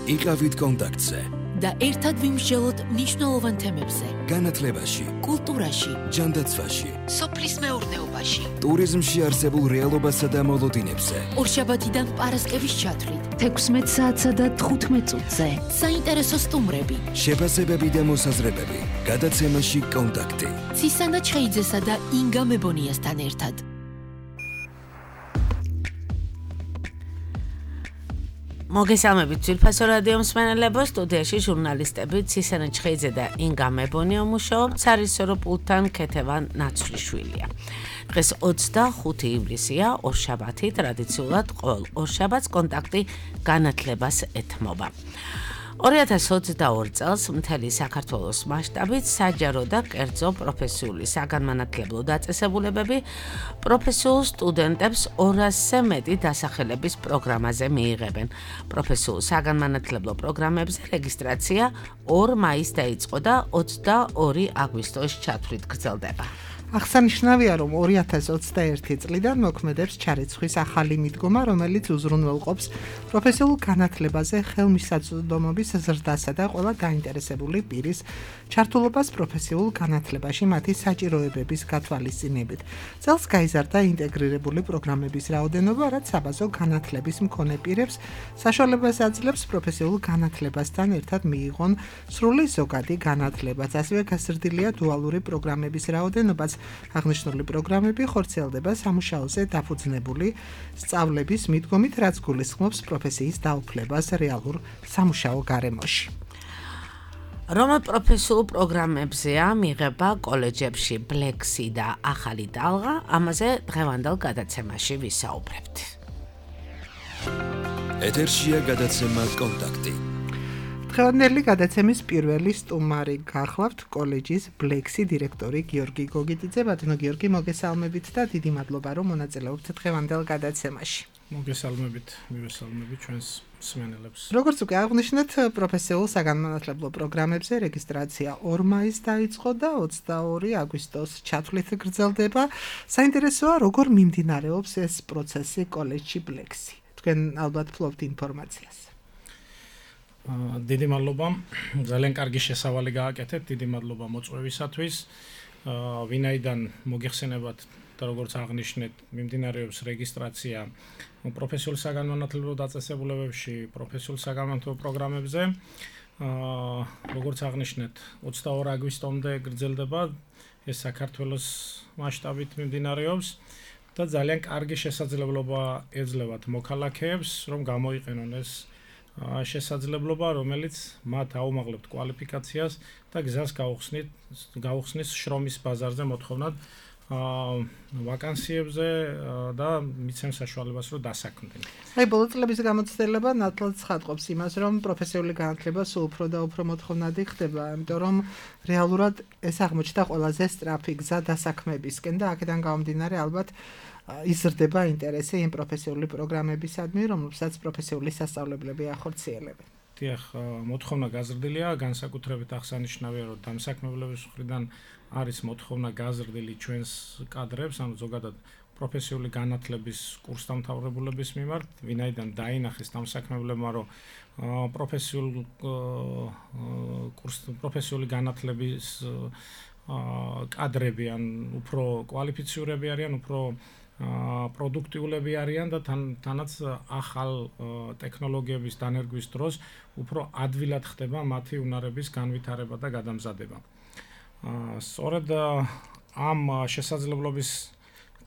იყავით კონტაქტზე და ერთად ვიმსჯელოთ მნიშვნელოვან თემებზე. განათლებაში, კულტურაში, ჯანდაცვაში, სოფლის მეურნეობაში, ტურიზმში არსებულ რეალობასა და მოლოდინებზე. ორშაბათიდან პარასკევის ჩათვლით, 16 საათსა და 15 წუთზე. საინტერესო სტუმრები, შეფასებები და მოსაზრებები. გადაცემაში კონტაქტი. ცისანა ჩხეიძესა და ინგა მებონიასთან ერთად. მოგესალმებით ძვირფასო რადიო მსმენელებო, სტუდიაში ჟურნალისტები ცისანა ჩხეიძე და ინგა მებონია მუშაობთ, სარისორო პულტთან ქეთევან ნაცვლიშვილია. დღეს 25 ივლისია, ორშაბათი, ტრადიციულად ყოველ ორშაბათს კონტაქტი განათლებას ეთმობა. 2022 წელს მთელი საქართველოს მასშტაბით საჯარო და კერძო პროფესიული საგანმანათლებლო დაწესებულებები პროფესიულ სტუდენტებს 200-ზე მეტი დასახელების პროგრამაზე მიიღებენ. პროფესიულ საგანმანათლებლო პროგრამებზე რეგისტრაცია 2 მაისს დაიწყო და 22 აგვისტოს ჩათვლით გრძელდება. აღსანიშნავია, რომ 2021 წლიდან მოქმედებს ჩარიცხვის ახალი მიდგომა, რომელიც უზრუნველყოფს პროფესიულ განათლებაზე ხელმისაწვდომობის ზრდასა და ყველა დაინტერესებული პირის ჩართულობას პროფესიულ განათლებაში მათი საჭიროებების გათვალისწინებით. წელს გაიზარდა ინტეგრირებული პროგრამების რაოდენობა, რაც საბაზო განათლების მქონე პირებს საშუალებას აძლევს პროფესიულ განათლებასთან ერთად მიიღონ სრული ზოგადი განათლებაც. ასევე გაზრდილია დუალური პროგრამების რაოდენობაც. აღნიშნული პროგრამები ხორციელდება სამუშაოზე დაფუძნებული სწავლების მიდგომით, რაც გულისხმობს პროფესიის დაუფლებას რეალურ სამუშაო გარემოში. რომელ პროფესიულ პროგრამებზეა მიღება კოლეჯებში ბლექსი და ახალი ტალღა, ამაზე დღევანდელ გადაცემაში ვისაუბრებთ. ეთერშია გადაცემა კონტაქტი. დღევანდელი გადაცემის პირველი სტუმარი გახლავთ კოლეჯის ბლექსი დირექტორი გიორგი გოგიტიძე. ბატონო გიორგი, მოგესალმებით და დიდი მადლობა, რომ მონაწილეობთ დღევანდელ გადაცემაში. მოგესალმებით, მივესალმებით ჩვენს მსმენელებს. როგორც უკვე აღვნიშნეთ, პროფესიულ საგანმანათლებლო პროგრამებზე რეგისტრაცია 2 მაისს დაიწყო და 22 აგვისტოს ჩათვლით გრძელდება. საინტერესოა, როგორ მიმდინარეობს ეს პროცესი კოლეჯში ბლექსი. თქვენ ალბათ ფლობთ ინფორმაციას. დიდი მადლობა, ძალიან კარგი შესავალი გააკეთეთ, დიდი მადლობა მოწვევისათვის. ვინაიდან მოგეხსენებათ და როგორც აღნიშნეთ, მიმდინარეობს რეგისტრაცია პროფესიულ საგანმანათლებლო დაწესებულებებში, პროფესიულ საგანმანათლებლო პროგრამებზე. როგორც აღნიშნეთ, 22 აგვისტომდე გრძელდება, ეს საქართველოს მასშტაბით მიმდინარეობს და ძალიან კარგი შესაძლებლობა ეძლევათ მოქალაქეებს, რომ გამოიყენონ ეს შესაძლებლობა, რომელიც მათ აუმაღლებთ კვალიფიკაციას და გზას გაუხსნის შრომის ბაზარზე მოთხოვნად ვაკანსიებზე და მიცემს საშუალებას, რომ დასაქმდნენ. ბოლო წლების გამოცდილება ნათლად ცხადყოფს იმას, რომ პროფესიული განათლება სულ უფრო და უფრო მოთხოვნადი ხდება, იმიტომ რომ რეალურად ეს აღმოჩნდა ყველაზე სწრაფი გზა დასაქმებისკენ და აქედან გამომდინარე ალბათ იზრდება ინტერესი იმ პროფესიული პროგრამებისადმი, რომლებსაც პროფესიული სასწავლებლები ახორციელებენ. დიახ, მოთხოვნა გაზრდილია, განსაკუთრებით აღსანიშნავია, რომ დამსაქმებლების მხრიდან არის მოთხოვნა გაზრდილი ჩვენს კადრებს, ანუ ზოგადად პროფესიული განათლების კურსდამთავრებულების მიმართ, ვინაიდან დაინახეს დამსაქმებლებმა, რომ პროფესიული განათლების კადრები ან უფრო კვალიფიციურები არიან, უფრო პროდუქტიულები არიან და თანაც ახალ ტექნოლოგიების დანერგვის დროს უფრო ადვილად ხდება მათი უნარების განვითარება და გადამზადება. სწორედ ამ შესაძლებლობის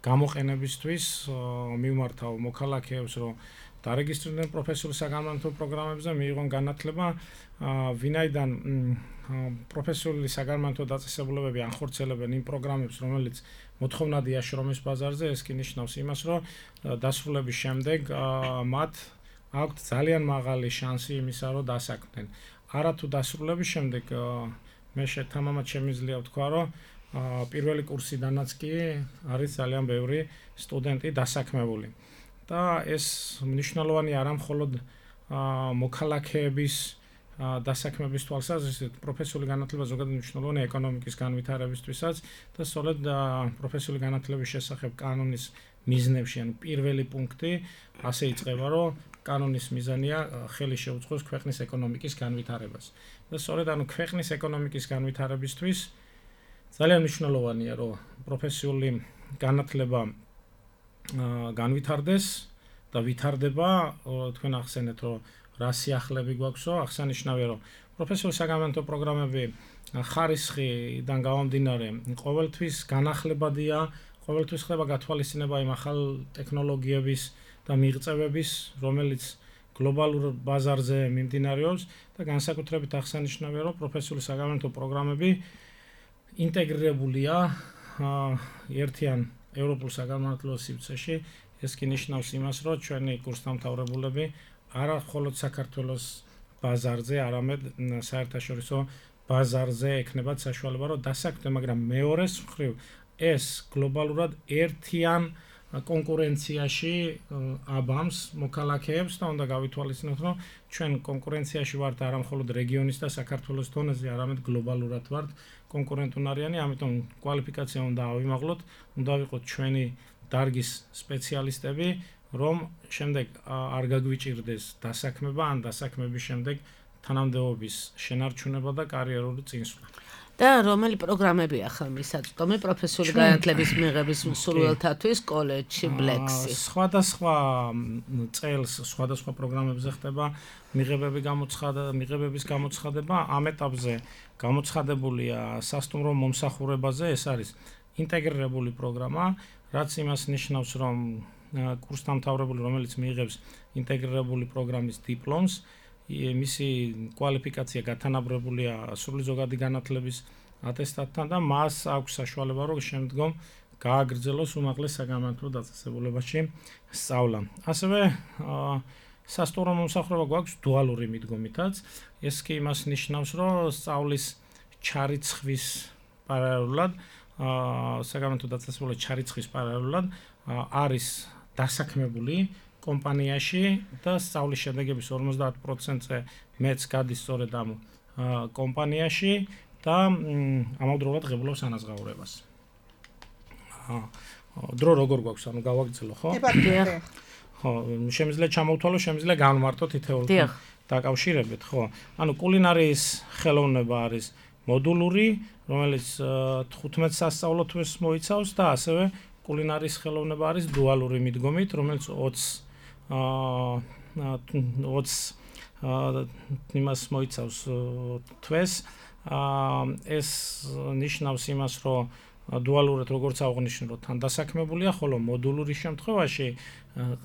გამოყენებისთვის მივმართავ მოქალაქეებს, რომ დარეგისტრირდნენ პროფესიულ საგანმანათლებლო პროგრამებზე, მიიღონ განათლება, ვინაიდან პროფესიული საგანმანათლებლო დაწესებულებები ახორციელებენ იმ პროგრამებს, რომელიც მოთხოვნადია შრომის ბაზარზე, ეს კი ნიშნავს იმას, რომ დასრულების შემდეგ მათ აქვთ ძალიან მაღალი შანსი იმისა, რომ დასაქმდნენ. არათუ დასრულების შემდეგ მე თამამად შემიძლია ვთქვა, რომ პირველი კურსიდანაც კი არის ძალიან ბევრი სტუდენტი დასაქმებული. და ეს მნიშვნელოვანი არა მხოლოდ მოქალაქეების დასაქმების თვალსაზრისით, პროფესიული განათლება ზოგადად მნიშვნელოვანია ეკონომიკის განვითარებისთვისაც და სწორედ პროფესიული განათლების შესახებ კანონის მიზნებში, ანუ პირველი პუნქტი ასე იწყება, რომ კანონის მიზანია ხელი შეუწყოს ქვეყნის ეკონომიკის განვითარებას. და სწორედ ქვეყნის ეკონომიკის განვითარებისთვის ძალიან მნიშვნელოვანია, რომ პროფესიული განათლება განვითარდეს და ვითარდება, თქვენ ახსენეთ, რომ რა სიახლეები გვაქვსო, აღსანიშნავია, რომ პროფესიული საგანმანათლებლო პროგრამები ხარისხიდან გამომდინარე ყოველთვის განახლებადია, ყოველთვის ხდება გათვალისწინება იმ ახალ ტექნოლოგიების და მიღწევების, რომელიც გლობალურ ბაზარზე მიმდინარეობს და განსაკუთრებით აღსანიშნავია, რომ პროფესიული საგანმანათლებლო პროგრამები ინტეგრირებულია ერთიან ევროპულ საგანმანათლებლო სივრცეში. ეს კი ნიშნავს იმას, რომ ჩვენი კურსდამთავრებულები არა მხოლოდ საქართველოს ბაზარზე, არამედ საერთაშორისო ბაზარზე ექნებათ საშუალება, რომ დასაქმდნენ, მაგრამ მეორეს მხრივ ეს გლობალურად ერთიან კონკურენციაში აბამს მოქალაქეებს და უნდა გავითვალისწინოთ, რომ ჩვენ კონკურენციაში ვართ არა მხოლოდ რეგიონის და საქართველოს დონეზე, არამედ გლობალურად ვართ კონკურენტუნარიანი, ამიტომ კვალიფიკაცია უნდა ავიმაღლოთ, უნდა ვიყოთ ჩვენი დარგის სპეციალისტები, რომ შემდეგ არ გაგვიჭირდეს დასაქმება ან დასაქმების შემდეგ თანამდებობის შენარჩუნება და კარიერული წინსვლა. და რომელი პროგრამებია ხელმისაწვდომი პროფესიული განათლების მიღების მსურველთათვის კოლეჯში ბლექსი? სხვადასხვა წელს სხვადასხვა პროგრამებზე ხდება მიღებების გამოცხადება. ამ ეტაპზე გამოცხადებულია სასტუმრო მომსახურებაზე, ეს არის ინტეგრირებული პროგრამა, რაც იმას ნიშნავს, რომ კურსდამთავრებული, რომელიც მიიღებს ინტეგრირებული პროგრამის დიპლომს, მისი კვალიფიკაცია გათანაბრებულია სრული ზოგადი განათლების ატესტატთან და მას აქვს საშუალება, რომ შემდგომ გააგრძელოს უმაღლეს საგანმანათლებლო დაწესებულებაში სწავლა. ასევე სასტუმრო მომსახურება გვაქვს დუალური მიდგომითაც. ეს კი იმას ნიშნავს, რომ სწავლის ჩარიცხვის პარალელურად, საგანმანათლებლო დაწესებულებაში ჩარიცხვის პარალელურად არის დასაქმებული კომპანიაში და სწავლის შედეგების 50%-ზე მეც გადის სწორედ ამ კომპანიაში და ამავდროულად ღებულობს ანაზღაურებას. დრო როგორ გვაქვს, ანუ გავაგრძელო, ხო? ხო, შემიძლია ჩამოვთვალო, შემიძლია განვმარტო თითოეულ დაკავშირებით, ხო? ანუ კულინარიის ხელოვნება არის მოდულური, რომელიც 15 სასწავლო თვეს მოიცავს და ასევე კულინარიის ხელოვნება არის დუალური მიდგომით, რომელიც 20 იმას მოიცავს თვეს. ეს ნიშნავს იმას, რომ დუალურად როგორც აღნიშნე, თან დასაქმებულია, ხოლო მოდულური შემთხვევაში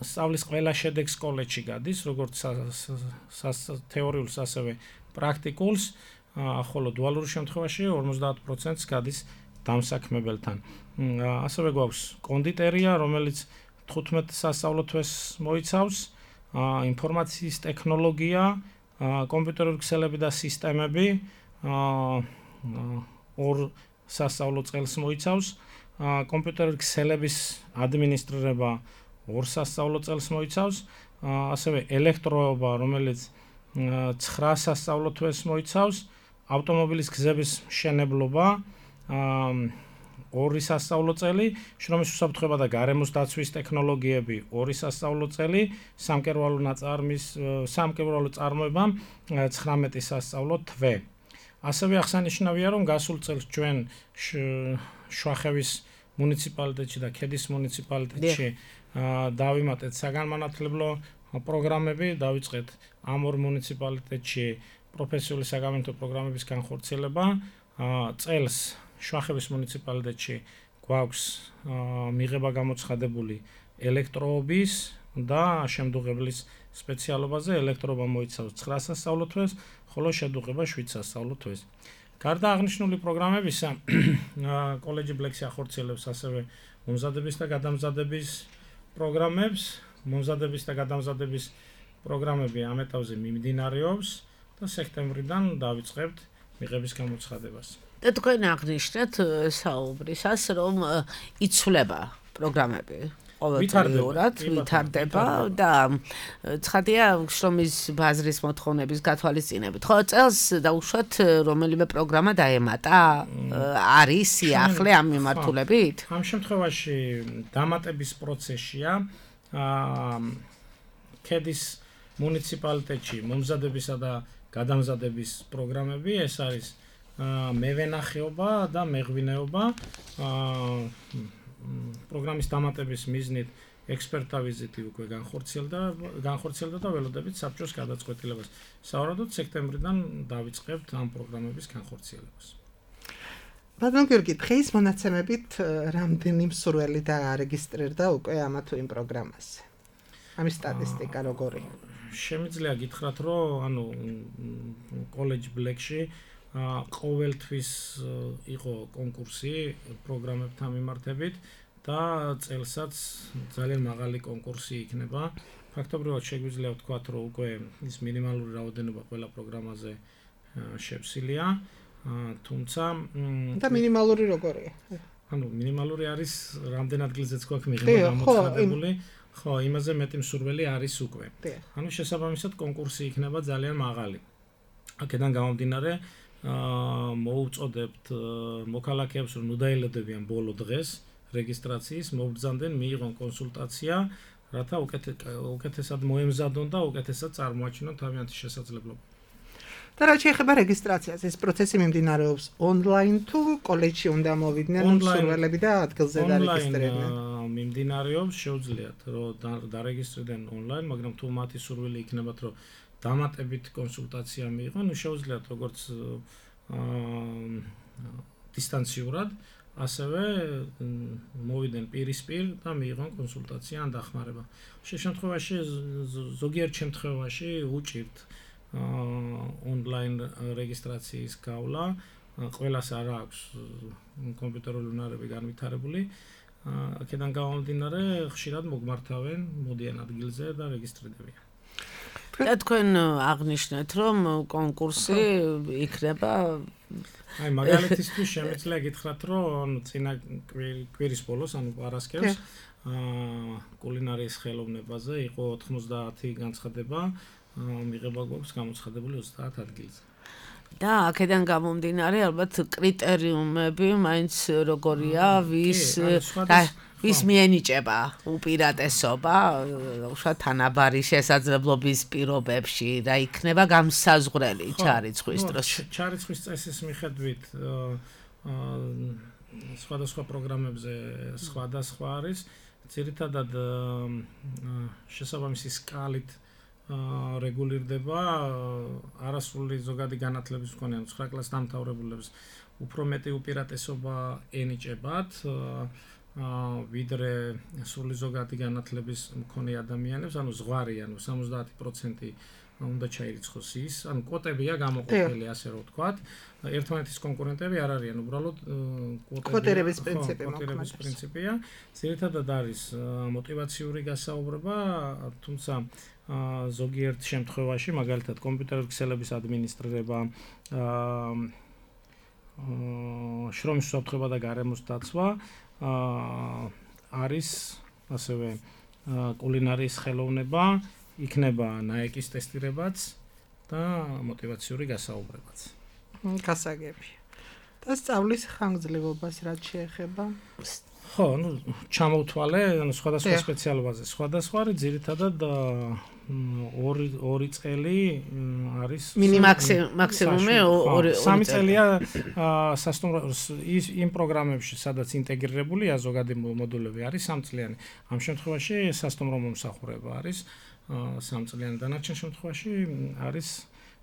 სწავლის ყველა შედეგს კოლეჯში გადის, როგორც თეორიულს, ასევე პრაქტიკულს, ხოლო დუალურ შემთხვევაში 50%-ს გადის დამსაქმებელთან. ასევე გვაქვს კონდიტერია, რომელიც 15 სასწავლო თვეს მოიცავს, ინფორმაციის ტექნოლოგია, კომპიუტერული ქსელები და სისტემები, 2 სასწავლო წელს მოიცავს, კომპიუტერული ქსელების ადმინისტრირება 2 სასწავლო წელს მოიცავს, ასევე ელექტროობა, რომელიც 9 სასწავლო თვეს მოიცავს, ავტომობილის გზების მშენებლობა 2 სასწავლო წელი, შრომის უსაფრთხოება და გარემოს დაცვის ტექნოლოგიები 2 სასწავლო წელი, სამკერვალო წარმოება 19 სასწავლო თვე. ასევე აღსანიშნავია, რომ გასულ წელს ჩვენ შვახევის მუნიციპალიტეტში და ქედის მუნიციპალიტეტში დავიმატეთ საგანმანათლებლო პროგრამები, დავიწყეთ ამ 2 მუნიციპალიტეტში პროფესიული საგანმანათლებლო პროგრამების განხორციელება. წელს შვახევის მუნიციპალიტეტში გვაქვს მიღება გამოცხადებული ელექტროობის და შემდუღებლის სპეციალობაზე. ელექტროობა მოიცავს 9 სასწავლო თვეს, ხოლო შედუღება 7 სასწავლო თვეს. გარდა აღნიშნული პროგრამებისა, კოლეჯი ბლექსი ახორციელებს ასევე მომზადების და გადამზადების პროგრამებს. მომზადების და გადამზადების პროგრამები ამ ეტაპზე მიმდინარეობს და სექტემბრიდან დავიწყებთ მიღების გამოცხადებას. და თქვენ აღნიშნეთ საუბრისას, რომ იცვლება პროგრამები ყოველდღიურად, ვითარდება და ცხადია შრომის ბაზრის მოთხოვნების გათვალისწინებით. ხო, წელს დაუშვათ რომელიმე პროგრამა დაემატა? არის სიახლე ამ მიმართულებით? ამ შემთხვევაში დამატების პროცესია. ქედის მუნიციპალიტეტში მომზადებისა და გადამზადების პროგრამები, ეს არის მევენახეობა და მეღვინეობა. პროგრამის დამატების მიზნით ექსპერტთა ვიზიტი უკვე განხორციელდა და ველოდებით საბჭოს გადაწყვეტილებას. სავარაუდოდ სექტემბრიდან დავიწყებთ ამ პროგრამების განხორციელებას. ბატონ გიორგი, დღის მონაცემებით რამდენი მსურველი დაარეგისტრირდა უკვე ამა თუ იმ პროგრამაზე? ამის სტატისტიკა როგორია? შემიძლია გითხრათ, რომ კოლეჯ ბლეკში ყოველთვის იყო კონკურსი პროგრამებთან მიმართებით და წელსაც ძალიან მაღალი კონკურსი იქნება. ფაქტობრივად შეგვიძლია ვთქვათ, რომ უკვე ის მინიმალური რაოდენობა ყველა პროგრამაზე შევსილია, თუმცა და მინიმალური როგორია? მინიმალური არის რამდენ ადგილზეც გვაქვს მიღება გამოცხადებული. ხო, იმაზე მეტი მსურველი არის უკვე. შესაბამისად კონკურსი იქნება ძალიან მაღალი. აქედან გამომდინარე მოუწოდებთ მოქალაქეებს, რომ ნუ დაელოდებიან ბოლო დღეს რეგისტრაციის, მობრძანდნენ, მიიღონ კონსულტაცია, რათა უკეთესად მოემზადონ და უკეთესად წარმოაჩინონ თავიანთი შესაძლებლობა. და რაც შეეხება რეგისტრაციას, ეს პროცესი მიმდინარეობს ონლაინ თუ კოლეჯში უნდა მოვიდნენ მსურველები და ადგილზე დარეგისტრირდნენ? მიმდინარეობს, შეუძლიათ რომ დარეგისტრირდნენ ონლაინ, მაგრამ თუ მათი სურვილი იქნებათ, რომ დამატებით კონსულტაცია მიიღონ, შეუძლიათ როგორც დისტანციურად, ასევე მოვიდნენ პირისპირ და მიიღონ კონსულტაცია ან დახმარება. შემთხვევაში ზოგიერთ შემთხვევაში უჭირთ ონლაინ რეგისტრაციის გავლა, ყველას არ აქვს კომპიუტერული უნარები განვითარებული. აქედან გამომდინარე, ხშირად მოგმართავენ, მოდიან ადგილზე და რეგისტრირდებიან. და თქვენ აღნიშნეთ, რომ კონკურსი იქნება მაგალითისთვის შემიძლია გითხრათ, რომ წინა კვირის ბოლოს, პარასკევს კულინარიის ხელოვნებაზე იყო 90 განცხადება, მიღება გვაქვს გამოცხადებული 30 ადგილზე. და აქედან გამომდინარე, ალბათ კრიტერიუმები მაინც როგორია, ვის მიენიჭება უპირატესობა, უშუალოდ თანაბარი შესაძლებლობის პირობებში, რა იქნება გამსაზღვრელი ჩარიცხვის დროს. ჩარიცხვის წესის მიხედვით სხვადასხვა პროგრამებზე სხვადასხვა არის, ძირითადად შესაბამისი სკალით რეგულირდება არასრული ზოგადი განათლების მქონე 9 კლასის დამთავრებულებს უფრო მეტი უპირატესობა ენიჭებათ ვიდრე სრული ზოგადი განათლების მქონე ადამიანებს, ზღვარი 70% უნდა ჩაირიცხოს ის, კვოტებია გამოყოფილი, ასე რომ ვთქვათ. ერთმანეთის კონკურენტები არ არიან, უბრალოდ კვოტირების პრინციპია. ძირითადად არის мотиваციური გასაუბრება, თუმცა ზოგიერთ შემთხვევაში, მაგალითად კომპიუტერული ქსელების ადმინისტრირება, შრომის უსაფრთხოება და გარემოს დაცვა არის ასევე კულინარიის ხელოვნება, იქნება ნაეკის ტესტირებაც და мотиваციური გასაუბრებაც. გასაგები. და სწავლის ხანგრძლივობას რაც შეეხება? ხო, ჩამოვთვალე, სხვადასხვა სპეციალობაზე. სხვადასხვა არის ძირითადად 2 წელი არის მაქსიმუმი 3 წელია იმ პროგრამებში, სადაც ინტეგრირებულია ზოგადი მოდულები არის 3 წლიანი. ამ შემთხვევაში სასტუმრო მომსახურება არის 3 წლიანი, დანარჩენ შემთხვევაში არის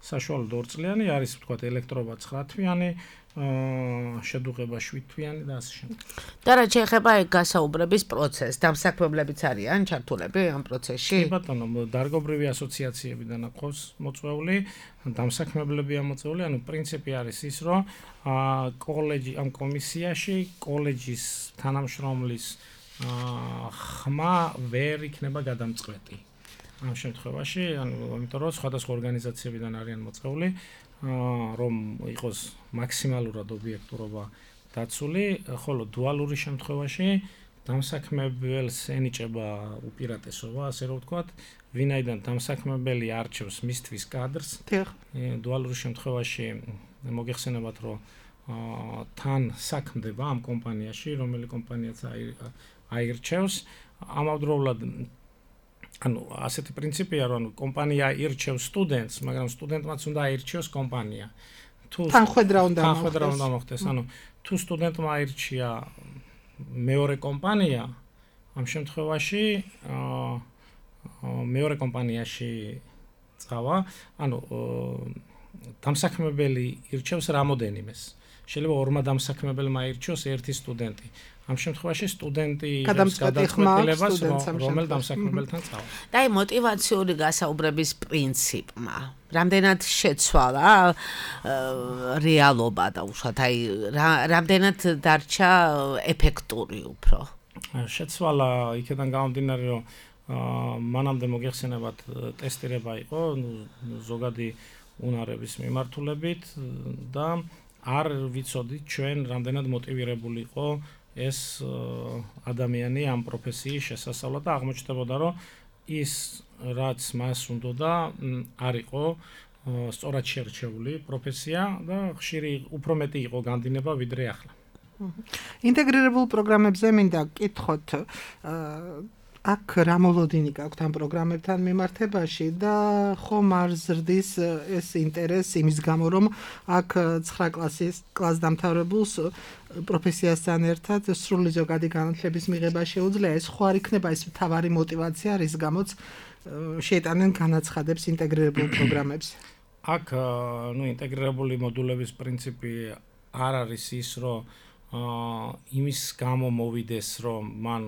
საშუალო 2 წლიანი, არის ვთქვათ ელექტრობა 9 თვიანი, შედუღება 7 თვიანი და ასე შემდეგ. და რა შეეხება გასაუბრების პროცესს, დამსაქმებლებიც არიან ჩართულები ამ პროცესში? კი ბატონო, დარგობრივი ასოციაციებიდან აქვს მოწვეული, დამსაქმებლებია მოწვეული, პრინციპი არის ის, რომ კოლეჯი ამ კომისიაში კოლეჯის თანამშრომლის ხმა ვერ იქნება გადამწყვეტი. ამ შემთხვევაში, იმიტომ რომ სხვადასხვა ორგანიზაციებიდან არიან მოწვეული, რომ იყოს მაქსიმალურად ობიექტურობა დაცული, ხოლო დუალური შემთხვევაში დამსაქმებელს ენიჭება უპირატესობა, ასე რომ ვთქვათ, ვინაიდან დამსაქმებელი არჩევს მისთვის კადრს, დუალური შემთხვევაში მოგეხსენებათ, რომ თან საქმდება ამ კომპანიაში, რომელი კომპანიაც აირჩევს, ამავდროულად ანუ ასეთი პრინციპია, რომ კომპანია ირჩევს სტუდენტს, მაგრამ სტუდენტმაც უნდა აირჩიოს კომპანია. თანხმედრა უნდა მოხდეს. ანუ თუ სტუდენტმა აირჩია მეორე კომპანია, ამ შემთხვევაში მეორე კომპანიაში წავა, ანუ დამსაქმებელი ირჩევს რამოდენიმეს. შეიძლება ორმა დამსაქმებელმა აირჩიოს ერთი სტუდენტი. ამ შემთხვევაში სტუდენტი გადაწყვეტილებას რომელ დამსაქმებელთან წავა. და აი мотиваციური გასაუბრების პრინციპმა რამდენად შეცვალა რეალობა და უშუალოდ აი რამდენად დარჩა ეფექტური უფრო. შეცვალა იქიდან გამომდინარე, რომ მანამდე მოგეხსენებათ ტესტირება იყო ზოგადი უნარების მიმართულებით და არ ვიცოდით ჩვენ რამდენად მოტივირებული იყო ეს ადამიანი ამ პროფესიის შესასწავლად და აღმოჩნდებოდა, რომ ის რაც მას უნდოდა არ იყო სწორად შერჩეული პროფესია და ხშირი უფრო მეტი იყო განდინება ვიდრე ახლა. ინტეგრირებულ პროგრამებზე მინდა გკითხოთ აქ რა მოლოდინი გაქვთ ამ პროგრამებთან მიმართებაში და ხომ არ ზრდის ეს ინტერესი იმის გამო, რომ აქ 9 კლას დამთავრებულს პროფესიასთან ერთად სრული ზოგადი განათლების მიღება შეუძლია, ეს ხო არ იქნება ეს მთავარი мотиваცია, რის გამოც შეიტანენ განაცხადებს ინტეგრირებულ პროგრამებს? აქ ინტეგრირებული მოდულების პრინციპი არ არის ის, რომ იმის გამო მოვიდეს, რომ მან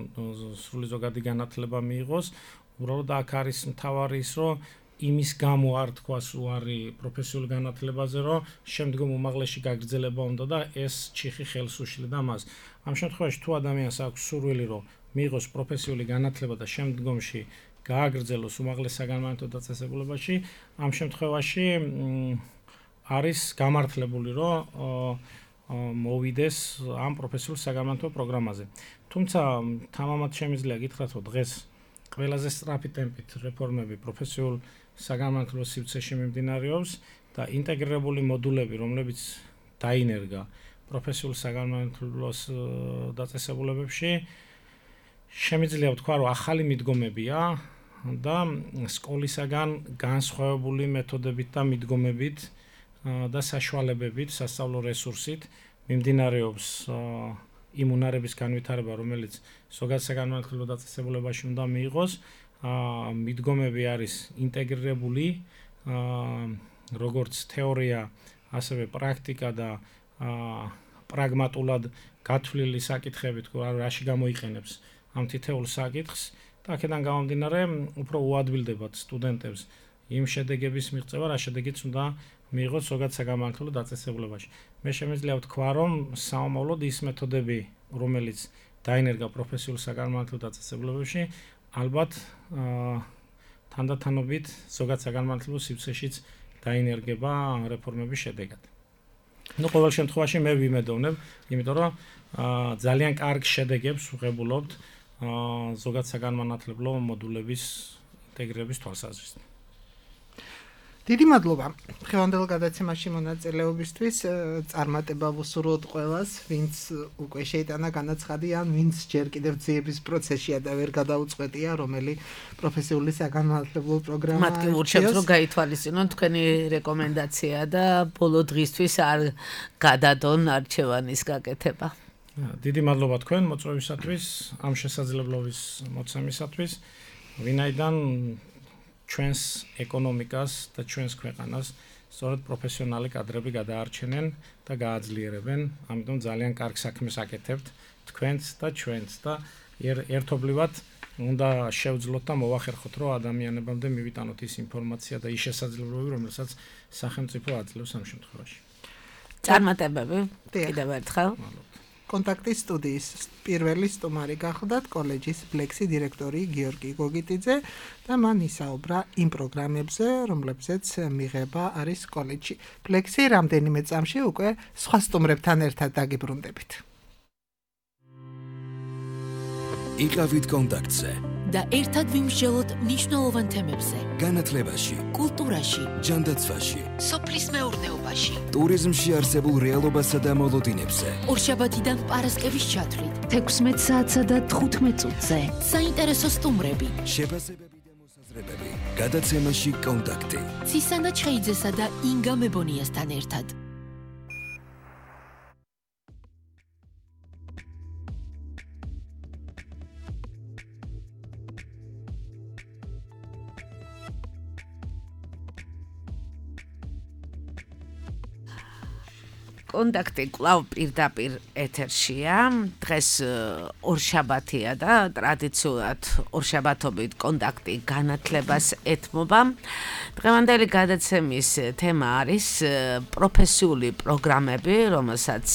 სრული ზოგადი განათლება მიიღოს, უბრალოდ აქ არის მთავარი ის, რომ იმის გამო არ თქვას უარი პროფესიულ განათლებაზე, რომ შემდგომ უმაღლესში გაგრძელება უნდა და ეს ჩიხი ხელს უშლიდა მას. ამ შემთხვევაში თუ ადამიანს აქვს სურვილი, რომ მიიღოს პროფესიული განათლება და შემდგომში გააგრძელოს უმაღლეს საგანმანათლებლო დაწესებულებაში, ამ შემთხვევაში არის გამართლებული, რომ მოვიდეს ამ პროფესიულ საგანმანათლებლო პროგრამაზე. თუმცა თამამად შემიძლია გითხრათ, რომ დღეს ყველაზე სწრაფი ტემპით რეფორმები პროფესიულ საგანმანათლებლო სივრცეში მიმდინარეობს და ინტეგრირებული მოდულები, რომლებიც დაინერგა პროფესიულ საგანმანათლებლო დაწესებულებებში, შემიძლია ვთქვა, რომ ახალი მიდგომებია და სკოლისაგან განსხვავებული მეთოდებით და მიდგომებით და საშუალებებით, სასწავლო რესურსით მიმდინარეობს იმ უნარების განვითარება, რომელიც ზოგად საგანმანათლებლო დაწესებულებაში უნდა მიიღოს. მიდგომები არის ინტეგრირებული, როგორც თეორია, ასევე პრაქტიკა და პრაგმატულად გათვლილი საკითხებით, რაში გამოიყენებს ამ თითოეულ საკითხს და აქედან გამომდინარე, უფრო უადვილდებათ სტუდენტებს იმ შედეგების მიღწევა, რა შედეგიც უნდა მიიღოს ზოგად საგანმანათლებლო დაწესებულებაში. მე შემიძლია ვთქვა, რომ საომავლოდ ის მეთოდები, რომელიც დაინერგა პროფესიულ საგანმანათლებლო დაწესებულებებში, ალბათ თანდათანობით ზოგად საგანმანათლებლო სივრცეშიც დაინერგება რეფორმების შედეგად. ყოველ შემთხვევაში მე ვიმედოვნებ, იმიტომ რომ ძალიან კარგ შედეგებს ვღებულობთ ზოგად საგანმანათლებლო მოდულების ინტეგრირების თვალსაზრისით. დიდი მადლობა ხევანდელ გადაცემაში მონაწილეობისთვის. წარმატება ვუსურვოთ ყველას, ვინც უკვე შეიტანა განაცხადი ან ვინც ჯერ კიდევ ძიების პროცესშია და ვერ გადაუწყვეტია, რომელი პროფესიული საგანმანათლებლო პროგრამა. მათ კი ურჩევთ, რომ გაითვალისწინონ თქვენი რეკომენდაცია და ბოლო დღისთვის არ გადადონ არჩევანის გაკეთება. დიდი მადლობა თქვენ მოწვევისათვის, ამ შესაძლებლობის მოცემისათვის, ვინაიდან ჩვენს ეკონომიკას და ჩვენს ქვეყანას სწორედ პროფესიონალი კადრები გადაარჩენენ და გააძლიერებენ. ამიტომ ძალიან კარგ საქმეს აკეთებთ თქვენც და ჩვენც და ერთობლივად უნდა შევძლოთ და მოვახერხოთ, რომ ადამიანებამდე მივიტანოთ ის ინფორმაცია და ის შესაძლებლობები, რომელსაც სახელმწიფო აძლევს ამ შემთხვევაში. წარმატებები კიდევ ერთხელ. კონტაქტის სტუდიის პირველი სტუმარი გახლდათ კოლეჯის ფლექსი დირექტორი გიორგი გოგიტიძე და მან ისაუბრა იმ პროგრამებზე, რომლებზეც მიღება არის კოლეჯში. ფლექსი რამდენიმე წამში უკვე სხვა სტუმრებთან ერთად დაგიბრუნდებით. იყავით კონტაქტზე და ერთად ვიმსჯელოთ მნიშვნელოვან თემებზე. განათლებაში, კულტურაში, ჯანდაცვაში, სოფლის მეურნეობაში, ტურიზმში არსებულ რეალობასა და მოლოდინებზე. ორშაბათიდან პარასკევის ჩათვლით, 16 საათსა და 15 წუთზე. საინტერესო სტუმრები. შეფასებები გადაცემაში კონტაქტი. ცისანა ჩხეიძესა და ინგა მებონიასთან ერთად. კონტაქტი კვლავ პირდაპირ ეთერშია. დღეს ორშაბათია და ტრადიციულად ორშაბათობით კონტაქტი განათლებას ეთმობა. დღევანდელი გადაცემის თემა არის პროფესიული პროგრამები, რომელსაც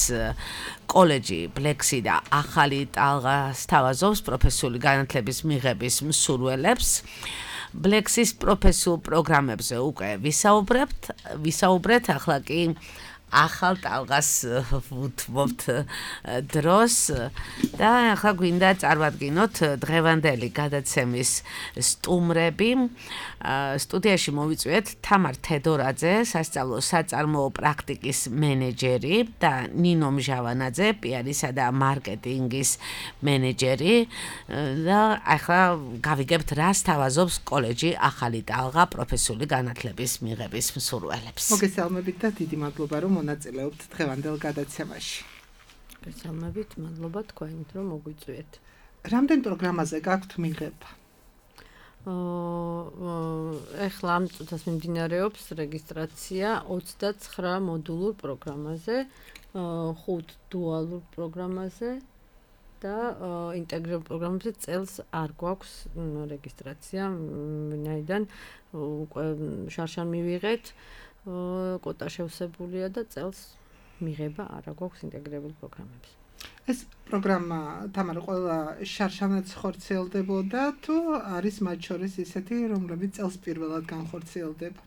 კოლეჯი ბლექსი და ახალი ტალღა სთავაზობს პროფესიული განათლების მიღების მსურველებს. ბლექსის პროფესიულ პროგრამებზე უკვე ვისაუბრეთ, ახლა კი ახალ ტალღას ვუთმობთ დროს და ახლა გვინდა წარმატგინოთ დღევანდელი გადაცემის სტუმრები. სტუდიაში მოვიწვიეთ თამარ თედორაძე, სასწავლო საწარმოო პრაქტიკის მენეჯერი და ნინო მჟავანაძე, პიარისა და მარკეტინგის მენეჯერი და ახლა გავიგებთ რა სთავაზობს კოლეჯი ახალი ტალღა პროფესიული განათლების მიღების მსურველებს. მოგესალმებით და დიდი მადლობა რომ მონაწილეობთ დღევანდელ გადაცემაში. გესალმებით, მადლობა თქვენით რომ მოგვიწვიეთ. რამდენ პროგრამაზე გაქვთ მიღება? ეხლა ამ წუთას მიმდინარეობს რეგისტრაცია 29 მოდულურ პროგრამაზე, 5 დუალურ პროგრამაზე და ინტეგრირებულ პროგრამებზე წელს არ გვაქვს რეგისტრაცია, ვინაიდან უკვე შარშან მივიღეთ. კოტა შევსებულია და წელს მიღება არა გვაქვს ინტეგრირებულ პროგრამებს. ეს პროგრამა თამარ ყველა შარშანაც ხორციელდებოდა თუ არის მათ შორის ისეთი, რომლებიც წელს პირველად განხორციელდება?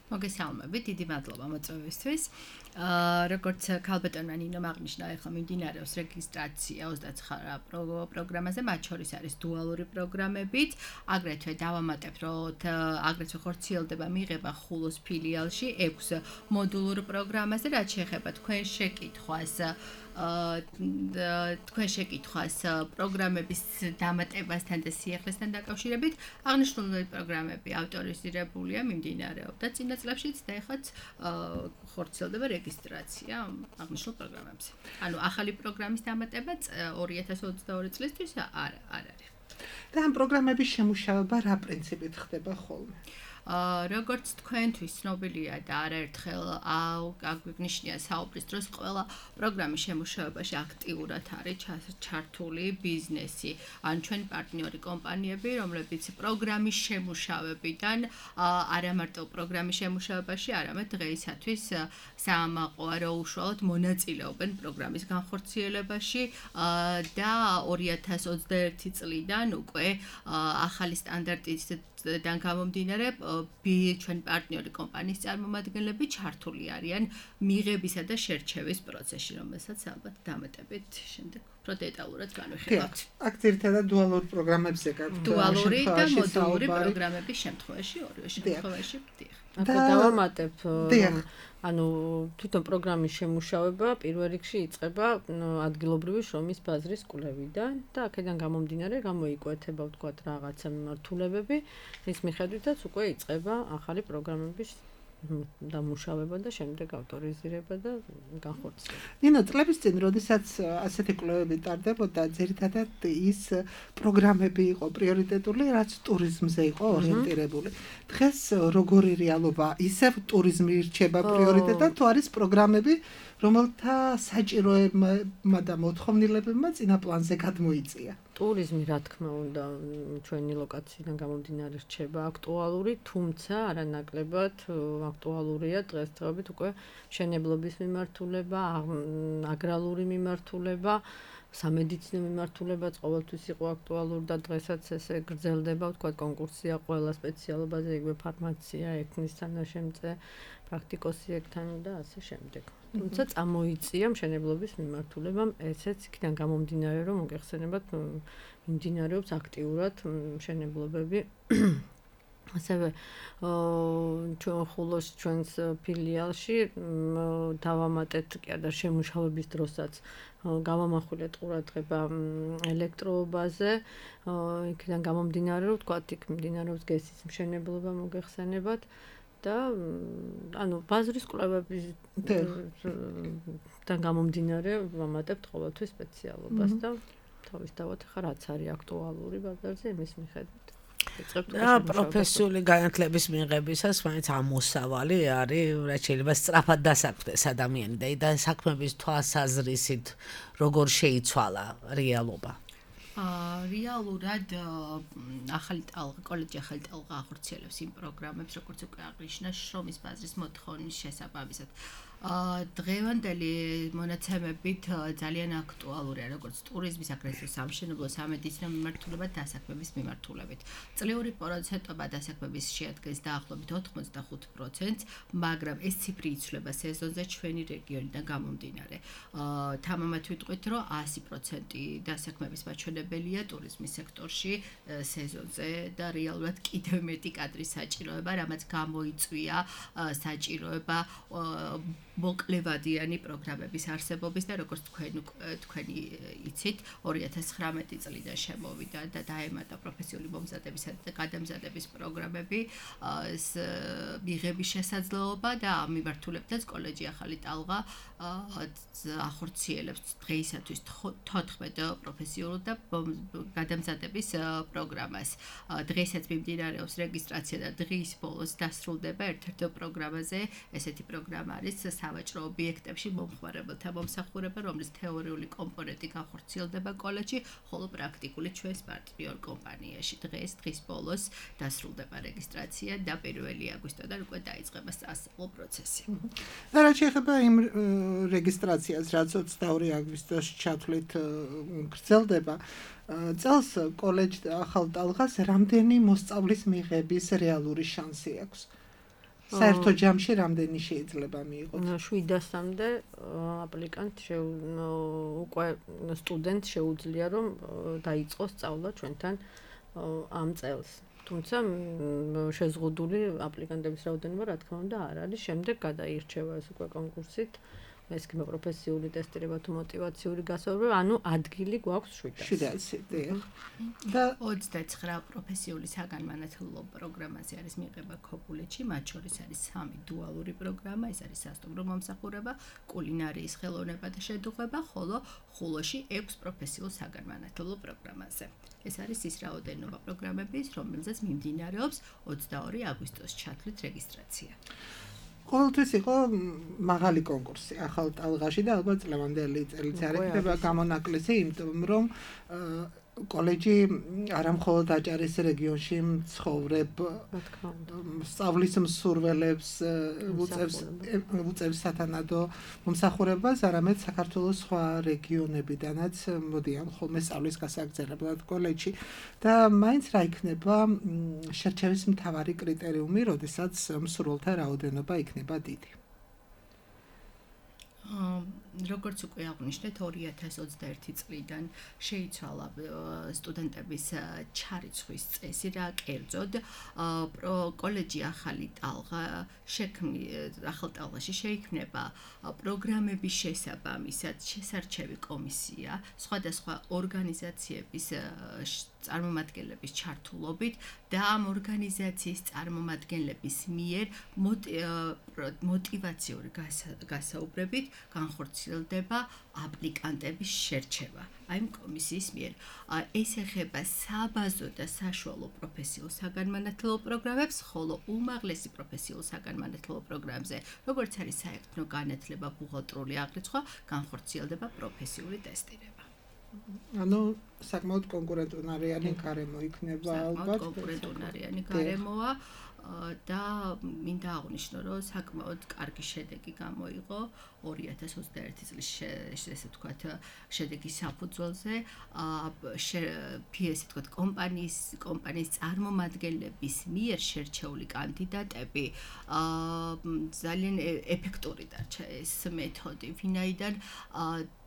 მოგესალმებით, დიდი მადლობა მოწვევისთვის. როგორც ქალბატონმა ნინომ აღნიშნა, ახლა მიმდინარეობს რეგისტრაცია 29 პროგრამაზე, მათ შორის არის დუალური პროგრამებიც. აგრეთვე დავამატებთ, რომ აგრეთვე ხორციელდება მიღება ხულოს ფილიალში 6 მოდულურ პროგრამაზე, რაც შეეხება თქვენ შეკითხვას პროგრამების დამატებასთან და სიახლესთან დაკავშირებით. აღნიშნული პროგრამები ავტორიზირებულია, მიმდინარეობდა წინა წლებშიც და ეხლაც ხორციელდება რეგისტრაცია აღნიშნულ პროგრამებზე. ანუ ახალი პროგრამის დამატება 2022 წლისთვის არ არის. და ამ პროგრამების შემუშავება რა პრინციპით ხდება ხოლმე? როგორც თქვენთვის ცნობილია და არაერთხელ აგვიგნიშნია საუბრის დროს, ყველა პროგრამის შემუშავებაში აქტიურად არის ჩართული ბიზნესი, ან ჩვენ პარტნიორი კომპანიები, რომლებიც პროგრამის შემუშავებიდან არა მარტო პროგრამის შემუშავებაში, არამედ დღეისათვის საამაყოა უშუალოდ მონაწილეობენ პროგრამის განხორციელებაში და 2021 წლიდან უკვე ახალი სტანდარტისგან გამომდინარე ჩვენ პარტნიორი კომპანიის წარმომადგენლები ჩართული არიან მიღებისა და შერჩევის პროცესში, რომელსაც ალბათ დამატებით შემდეგ უფრო დეტალურად განვიხილავთ. აქ ძირითადად დუალურ პროგრამებზე გაქვთ. დუალური და მოდულური პროგრამების შემთხვევაში, ორივე შემთხვევაში. აქ დავამატებ, ანუ თვითონ პროგრამის შემუშავება პირველ რიგში იწყება ადგილობრივი შრომის ბაზრის კვლევიდან და აქედან გამომდინარე გამოიკვეთება ვთქვათ რაღაცა მიმართულებები, ის მიხედვითაც უკვე იწყება ახალი პროგრამების დამუშავება და შემდეგ ავტორიზირება და განხორციელება. ნინო, წლების წინ, როდესაც ასეთი კვლევები ტარდებოდა, ძირითადად ის პროგრამები იყო პრიორიტეტული, რაც ტურიზმზე იყო ორიენტირებული. დღეს როგორი რეალობა, ისევ ტურიზმი ირჩება პრიორიტეტად, თუ არის პროგრამები, რომელთა საჭიროებმა და მოთხოვნილებებმა წინა პლანზე გადმოიწია? ტურიზმი, რა თქმა უნდა, ჩვენი ლოკაციიდან გამომდინარე რჩება აქტუალური, თუმცა არანაკლებად აქტუალურია დღესდღეობით უკვე მშენებლობის მიმართულება, აგრარული მიმართულება, სამედიცინო მიმართულებაც ყოველთვის იყო აქტუალური და დღესაც ესე გრძელდება, ვთქვათ, კონკურსია ყველა სპეციალობაზე, იგივე ფარმაცია, ექნის თანაშემწე, პრაქტიკოსი ექთანი და ასე შემდეგ. თუმცა წამოიწია მშენებლობის მიმართულებამ, ესეც იქიდან გამომდინარე, რომ მოგეხსენებათ, მიმდინარეობს აქტიურად მშენებლობები ასევე ჩვენ ხულოს ჩვენს ფილიალში დავამატეთ კი არა შემუშავების დროსაც გავამახვილეთ ყურადღება ელექტროობაზე იქიდან გამომდინარე რომ თქვა იქ მიმდინარეობს გესის მშენებლობა მოგეხსენებათ და ანუ ბაზრის კვლევებისგან გამომდინარე ვამატებთ ყოველთვის სპეციალობას და თავისთავად ხა რაც არის აქტუალური ბაზარზე იმის მიხედვით და პროფესიული განათლების მიღებისას მაინც ამოსავალი არის რაც შეიძლება სწრაფად დასაქმდეს ადამიანი და საქმების თვალსაზრისით როგორ შეიცვალა რეალობა რეალურად ახალი ტალღა კოლეჯი ახალი ტალღა ახორციელებს იმ პროგრამებს როგორც უკვე აღნიშნა შრომის ბაზრის მოთხოვნის შესაბამისად დღევანდელი მონაცემებით ძალიან აქტუალურია როგორც ტურიზმის აგრეთვე სამშენებლო სამედიცინო მიმართულება დასაქმების მიმართულებით. წლიური პროცენტობა დასაქმების შეადგენს დაახლოებით 85%, მაგრამ ეს ციფრი იცვლება სეზონზე ჩვენი რეგიონიდან გამომდინარე. თამამად ვიტყვით, რომ 100% დასაქმების მაჩვენებელია ტურიზმის სექტორში სეზონზე და რეალურად კიდევ მეტი კადრის საჭიროება, რამაც გამოიწვია საჭიროება მოკლევადიანი პროგრამების არსებობის და როგორც თქვენი იცით 2019 წლიდან შემოვიდა და დაემატა პროფესიული მომზადებისა და გადამზადების პროგრამები მიღების შესაძლებლობა და ამ მიმართულებითაც კოლეჯი ახალი ტალღა ახორციელებს დღეისათვის 14 პროფესიულ და გადამზადების პროგრამას. დღესაც მიმდინარეობს რეგისტრაცია და დღის ბოლოს დასრულდება ერთ-ერთ პროგრამაზე ესეთი პროგრამა არის სავაჭრო ობიექტებში მომხმარებელთა მომსახურება, რომლის თეორიული კომპონენტი განხორციელდება კოლეჯში, ხოლო პრაქტიკული ჩვენს პარტნიორ კომპანიაში. დღის ბოლოს დასრულდება რეგისტრაცია და 1 აგვისტოდან უკვე დაიწყება სასწავლო პროცესი. და რაც შეეხება იმ რეგისტრაციას, რაც 22 აგვისტოში ჩათვლით გრძელდება, წელს კოლეჯ ახალ ტალღას რამდენი მოსწავლის მიღების რეალური შანსი აქვს? საერთო ჯამში რამდენი შეიძლება მიიღოს? 700-მდე აპლიკანტ უკვე სტუდენტ შეუძლია რომ დაიწყოს სწავლა ჩვენთან ამ წელს. თუმცა შეზღუდული აპლიკანტების რაოდენობა რა თქმა უნდა არ არის. შემდეგ გადაირჩევა ეს უკვე კონკურსით. ეს კი პროფესიული ტესტირება თუ მოტივაციური გასაუბრება, ანუ ადგილი გვაქვს 700. და 29 პროფესიული საგანმანათლებლო პროგრამაზე არის მიღება ქობულეთში, მათ შორის არის 3 დუალური პროგრამა, ეს არის სასტუმრო მომსახურება, კულინარიის ხელოვნება და შედუღება, ხოლო ხულოში 6 პროფესიულ საგანმანათლებლო პროგრამაზე. ეს არის ის რაოდენობა პროგრამების, რომელზეც მიმდინარეობს 22 აგვისტოს ჩათვლით რეგისტრაცია. ყოველთვის იყო მაღალი კონკურსი ახალ ტალღაში და ალბათ წლევანდელი წელიც არ იქნება გამონაკლისი, იმიტომ რომ კოლეჯი არა მხოლოდ აჭარის რეგიონში მცხოვრებ სწავლის მსურველებს უწევს სათანადო მომსახურებას, არამედ საქართველოს სხვა რეგიონებიდანაც მოდიან ხოლმე სწავლის გასაგრძელებლად კოლეჯში და მაინც რა იქნება შერჩევის მთავარი კრიტერიუმი, როდესაც მსურველთა რაოდენობა იქნება დიდი? როგორც უკვე აღნიშნეთ 2021 წლიდან შეიცვალა სტუდენტების ჩარიცხვის წესი და კერძოდ კოლეჯი ახალი ტალღაში შეიქმნება პროგრამების შესაბამისად შესარჩევი კომისია სხვადასხვა ორგანიზაციების წარმომადგენლების ჩართულობით და ამ ორგანიზაციის წარმომადგენლების მიერ მოტივაციური გასაუბრებით განხორციელდება აპლიკანტების შერჩევა აი კომისიის მიერ. ეს ეხება საბაზო და საშუალო პროფესიულ საგანმანათლებლო პროგრამებს, ხოლო უმაღლესი პროფესიულ საგანმანათლებლო პროგრამებზე, როგორც არის საერთო განათლება, ბუღალტრული აღრიცხვა, განხორციელდება პროფესიული ტესტირება. ანუ საკმაოდ კონკურენტუნარიანი გარემო იქნება ალბათ. კონკურენტუნარიანი გარემოა. და მინდა აღვნიშნო, რომ საკმაოდ კარგი შედეგი გამოიღო 2021 წლის ესე ვთქვათ შედეგის საფუძველზე PS ვთქვათ კომპანიის წარმომადგენლების მიერ შერჩეული კანდიდატები ძალიან ეფექტური დარჩა ეს მეთოდი, ვინაიდან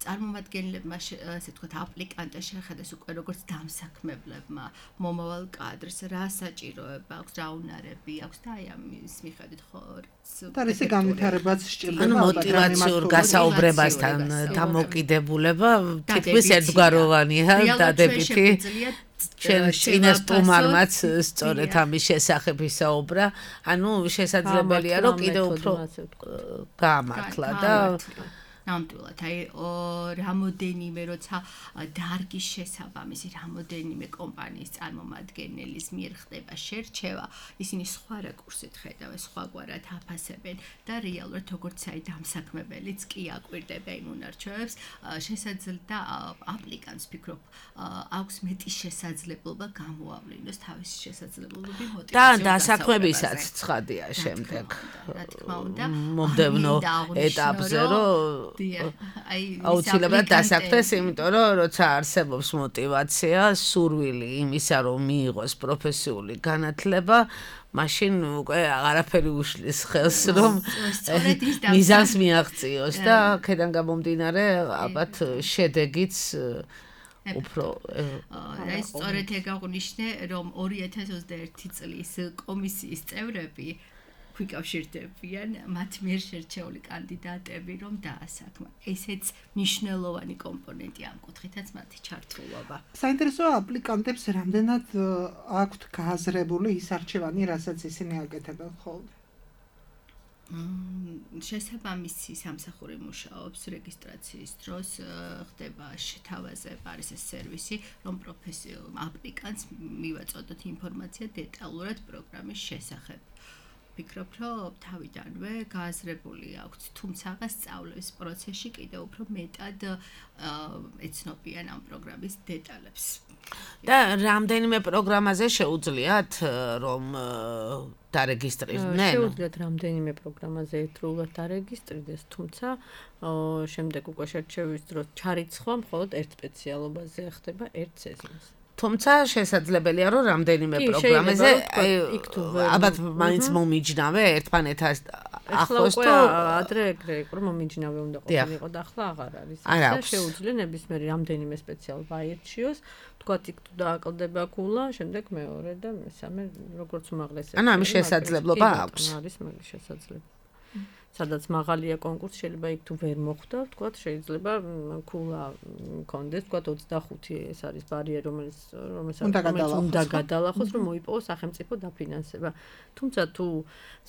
წარმომადგენლებმა ასე ვთქვათ აპლიკანტებს შეხედეს უკვე როგორც დამსაქმებლებმა მომავალ კადრს რა საჭიროება აქვს, რა უნარები აქვს და აი ამის მიხედვით ხო და ესე განვითარებაც სჭირდება ანუ მოტივაციურ გასაუბრებასთან დამოკიდებულება თითქმის ერთგვაროვანია დადებითი წინა სტუმარმაც სწორედ ამის შესახებ ისაუბრა ანუ შესაძლებელია რომ კიდევ უფრო გაამართლა და ნამდვილად აი რამოდენიმე როცა დარგის შესაბამისი რამოდენიმე კომპანიის წარმომადგენლის მიერ ხდება შერჩევა ისინი სხვა რაკურსით ხედავენ სხვაგვარად აფასებენ და რეალურად როგორც აი დამსაქმებელიც კი აკვირდება იმ უნარჩვევებს შესაძლოა აპლიკანტს ფიქრობ აქვს მეტი შესაძლებლობა გამოავლინოს თავისი შესაძლებლობები მოტივაციურ და დასაქმებისაც ცხადია შემდეგ რა თქმა უნდა მომდევნო ეტაპზე რომ აუცილებლად დასაქმდეს, იმიტომ რომ როცა არსებობს მოტივაცია, სურვილი იმისა, რომ მიიღოს პროფესიული განათლება, მაშინ უკვე აღარაფერი უშლის ხელს, რომ მიზანს მიაღწიოს და აქედან გამომდინარე, ალბათ შედეგიც უფრო აი სწორედ ეგ აღვნიშნე, რომ 2021 წლის კომისიის წევრები ვიკავშირდებიან მათ მიერ შერჩეული კანდიდატები რომ დაასაქმონ. ესეც მნიშვნელოვანი კომპონენტი ამ კუთხითაც მათი ჩართულობა. საინტერესოა აპლიკანტებს რამდენად აქვთ გააზრებული ის არჩევანი, რასაც ისინი აკეთებენ ხოლმე. შესაბამისი სამსახური მუშაობს რეგისტრაციის დროს ხდება შეთავაზე არის ეს სერვისი რომ პროფესიულ აპლიკანტს მივაწოდოთ ინფორმაცია დეტალურად პროგრამის შესახებ. ვფიქრობ, რომ თავიდანვე გააზრებული აქვს, თუმცა სწავლის პროცესში კიდევ უფრო მეტად ეცნობიან ამ პროგრამის დეტალებს. და რამდენიმე პროგრამაზე შეუძლიათ რომ დარეგისტრირდნენ? შეუძლიათ რამდენიმე პროგრამაზე ერთდროულად დარეგისტრირდეს, თუმცა შემდეგ უკვე შერჩევის დროს ჩარიცხვა მხოლოდ ერთ სპეციალობაზე ხდება ერთ სეზონს. თუმცა შესაძლებელია რომ რამდენიმე პროგრამაზე ალბათ მაინც მომიჯნავე ერთმანეთს ახლოს თუ ადრე ეგრე იყო რომ მომიჯნავე უნდა ყოფილიყო და ახლა აღარ არის. და შეუძლია ნებისმიერი რამდენიმე სპეციალობა აირჩიოს, თქვათ იქ თუ დააკლდება გულა, შემდეგ მეორე და მესამე როგორც უმაღლესი. ანუ ამის შესაძლებლობა აქვს. არის მაგის შესაძლებლობა. სადაც მაღალია კონკურსი შეიძლება იქ თუ ვერ მოხვდა, თქვათ შეიძლება გულა კონდეს, თქვათ 25 ეს არის ბარიერი, რომელიც უნდა გადალახოს, რომ მოიპოვოს სახელმწიფო დაფინანსება. თუმცა თუ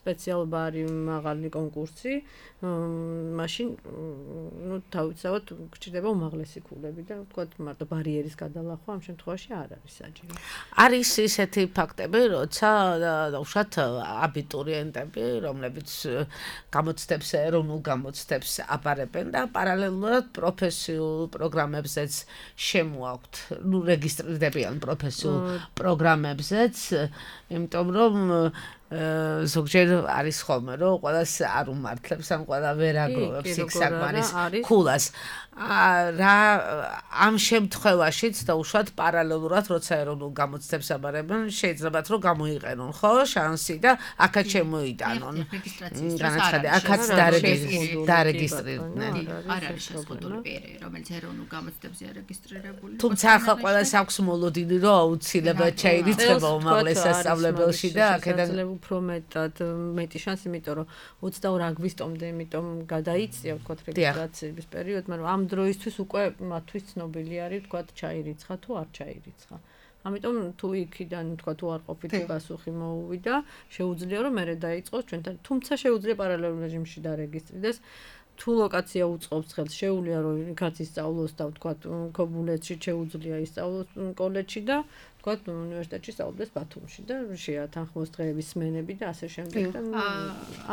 სპეციალობა არის მაღალი კონკურსი, მაშინ ნუ თავისთავად გჭირდება უმაღლესი გულები და თქვათ მარტო ბარიერის გადალახვა ამ შემთხვევაში არ არის საჭირო. არის ისეთი ფაქტები, როცა უშუალოდ აბიტურიენტები, რომლებიც გამოცდებს ეროვნულ გამოცდებს აბარებენ და პარალელურად პროფესიულ პროგრამებზეც შემოაქვთ, ნუ რეგისტრირდებიან პროფესიულ პროგრამებზეც, იმიტომ რომ ზოგჯერ არის ხოლმე რომ ყველას არ უმართლებს ან ყველა ვერ აგროვებს იქ საკმარის ქულას. რა ამ შემთხვევაშიც და უშუალოდ პარალელურად როცა ეროვნულ გამოცდებს აბარებენ შეიძლებათ რომ გამოიყენონ ხო შანსი და აქაც შემოიტანონ განაცხადი აქაც დარეგისტრირდნენ არ არის შეზღუდული პირი რომელიც ეროვნულ გამოცდებზე არეგისტრირებული თუმცა ახლა ყველას აქვს მოლოდინი რომ აუცილებლად ჩაირიცხება უმაღლეს სასწავლებელში და აქედან უფრო მეტი შანსი იმიტომ რომ 22 აგვისტომდე იმიტომ გადაიწია ვთქვათ რეგისტრაციის პერიოდი მაგრამ ამ დროისთვის უკვე მათთვის ცნობილი არის ვთქვათ ჩაირიცხა თუ არ ჩაირიცხა. ამიტომ თუ იქიდან თქვა თუ არ ყოფით პასუხი მოუვიდა, შეუძლია რომ მერე დაიწყოს ჩვენთან, თუმცა შეუძლია პარალელურ რეჟიმში დარეგისტრირდეს. თუ ლოკაცია უწყობს ხელს, შეუძლია რომ იქაც ისწავლოს და თქვა ქობულეთში შეუძლია ისწავლოს კოლეჯში და თქვა უნივერსიტეტში სწავლდეს ბათუმში და შეათანხმოს დღეების სმენები და ასე შემდეგ და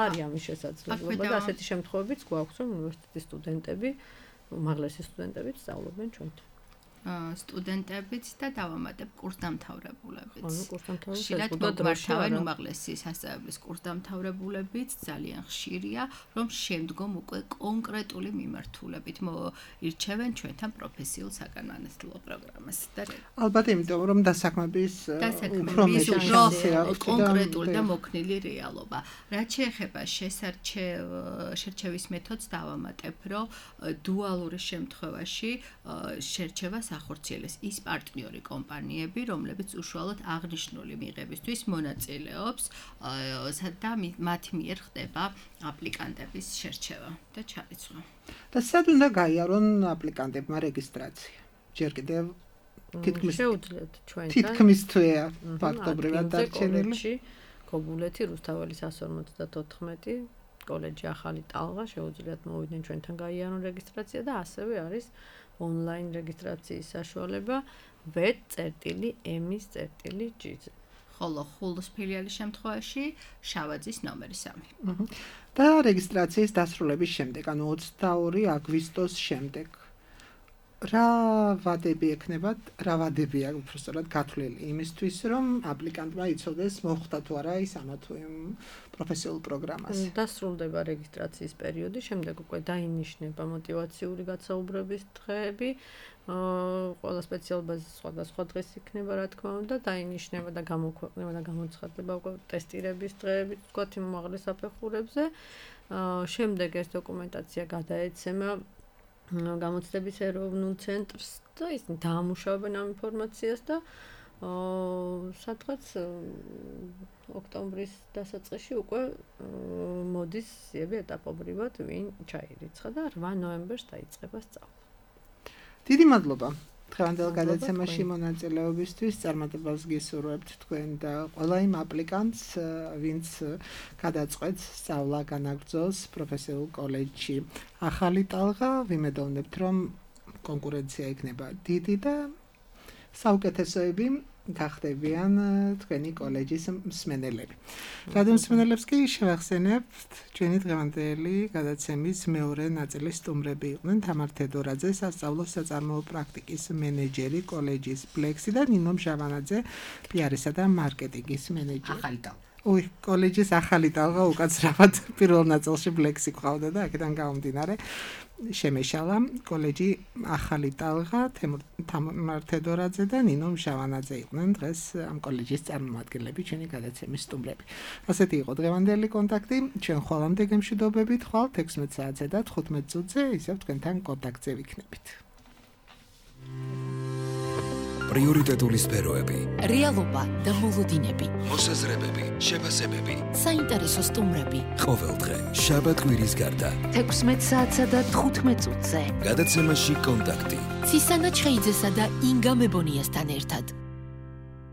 არის ამის შესაძლებლობა და ასეთი შემთხვევებიც გვაქვს რომ უნივერსიტეტის სტუდენტები უმაღლესი სტუდენტები სწავლობენ ჩვენთან. სტუდენტებიც და დავამატებ კურსდამთავრებულებიც. ხშირად მოგმართავენ უმაღლესი სასწავლებლის კურსდამთავრებულებიც, ძალიან ხშირია, რომ შემდგომ უკვე კონკრეტული მიმართულებით ირჩევენ ჩვენთან პროფესიულ საგანმანათლებლო პროგრამას. ალბათ იმიტომ, რომ დასაქმების უფრო მეტი კონკრეტული და მოქნილი რეალობა. რაც შეეხება შერჩევის მეთოდს დავამატებ, რომ დუალური შემთხვევაში შერჩევას ახორციელებს ის პარტნიორი კომპანიები, რომლებიც უშუალოდ აღნიშნული მიღებისთვის მონაწილეობს და მათი მიერ ხდება აპლიკანტების შერჩევა და ჩარიცხვა. და სად უნდა გაიარონ აპლიკანტებმა რეგისტრაცია? ჯერ კიდევ შეუძლიათ ჩვენთან თითქმის თვეა ფაქტობრივად დარჩენილი. გოგულეთი რუსთაველი 154 კოლეჯი ახალი ტალღა შეუძლიათ მოვიდნენ ჩვენთან გაიარონ რეგისტრაცია და ასევე არის ონლაინ რეგისტრაციის საშუალება www.emis.gz. ხოლო ხულოს ფილიალის შემთხვევაში შავაძის ნომერი 3. და რეგისტრაციის დასრულების შემდეგ, ანუ 22 აგვისტოს შემდეგ რა ვადები ექნებათ, რა ვადებია უბრალოდ გათვლილი იმისთვის, რომ აპლიკანტმა იცოდეს მოხდა თუ არა ის ამა თუ იმ პროფესიულ პროგრამაზე. დასრულდება რეგისტრაციის პერიოდი, შემდეგ უკვე დაინიშნება მოტივაციური გაცაუბრების დღეები. ყველა სპეციალობაზე სხვადასხვა დღეს იქნება, რა თქმა უნდა, დაინიშნება და გამოქვეყნება და გამოცხადდება უკვე ტესტირების დღეები, თქვათ იმ უმაღლეს საფეხურებზე. შემდეგ ეს დოკუმენტაცია გადაეცემა გამოცდების ეროვნულ ცენტრს და ისინი დაამუშავებენ ამ ინფორმაციას და სადღაც ოქტომბრის დასაწყისში უკვე მოდის ზიები ეტაპობრივად ვინ ჩაირიცხა და 8 ნოემბერს დაიწყება სწავლა. დიდი მადლობა დღევანდელ გადაცემაში მონაწილეობისთვის. წარმატებას გისურვებთ თქვენ და ყველა იმ აპლიკანტს, ვინც გადაწყვეტს სწავლა განაგრძოს პროფესიულ კოლეჯში. ახალი ტალღა, ვიმედოვნებთ, რომ კონკურენცია იქნება დიდი და საუკეთესოები გახდებიან თქვენი კოლეჯის მსმენელები. რადიომსმენელებს კი შევახსენებთ, ჩვენი დღევანდელი გადაცემის მეორე ნაწილის სტუმრები იყვნენ თამარ თედორაძე, სასწავლო საწარმოო პრაქტიკის მენეჯერი კოლეჯის ბლექსი და ნინო მჟავანაძე, პიარისა და მარკეტინგის მენეჯერი. ახალი ტალღა. კოლეჯის ახალი ტალღა უკაცრავად პირველ ნაწილში ბლექსი ყავდა და აქედან გამომდინარე შემეშალა კოლეჯი ახალი ტალღა, თამარ თედორაძე და ნინო მჟავანაძე იყვნენ დღეს ამ კოლეჯის წარმომადგენლები, ჩვენი გადაცემის სტუმრები. ასეთი იყო დღევანდელი კონტაქტი, ჩვენ ხვალამდე გემშვიდობებით, ხვალ 16 საათზე და 15 წუთზე ისევ თქვენთან კონტაქტზე ვიქნებით. პრიორიტეტული სფეროები, რეალობა და მოლოდინები, მოსაზრებები, შეფასებები, საინტერესო სტუმრები. ყოველდღე შაბათ-კვირის გარდა 16 საათსა და 15 წუთზე. გადაცემაში კონტაქტი. ცისანა ჩხეიძესა და ინგა მებონიასთან ერთად.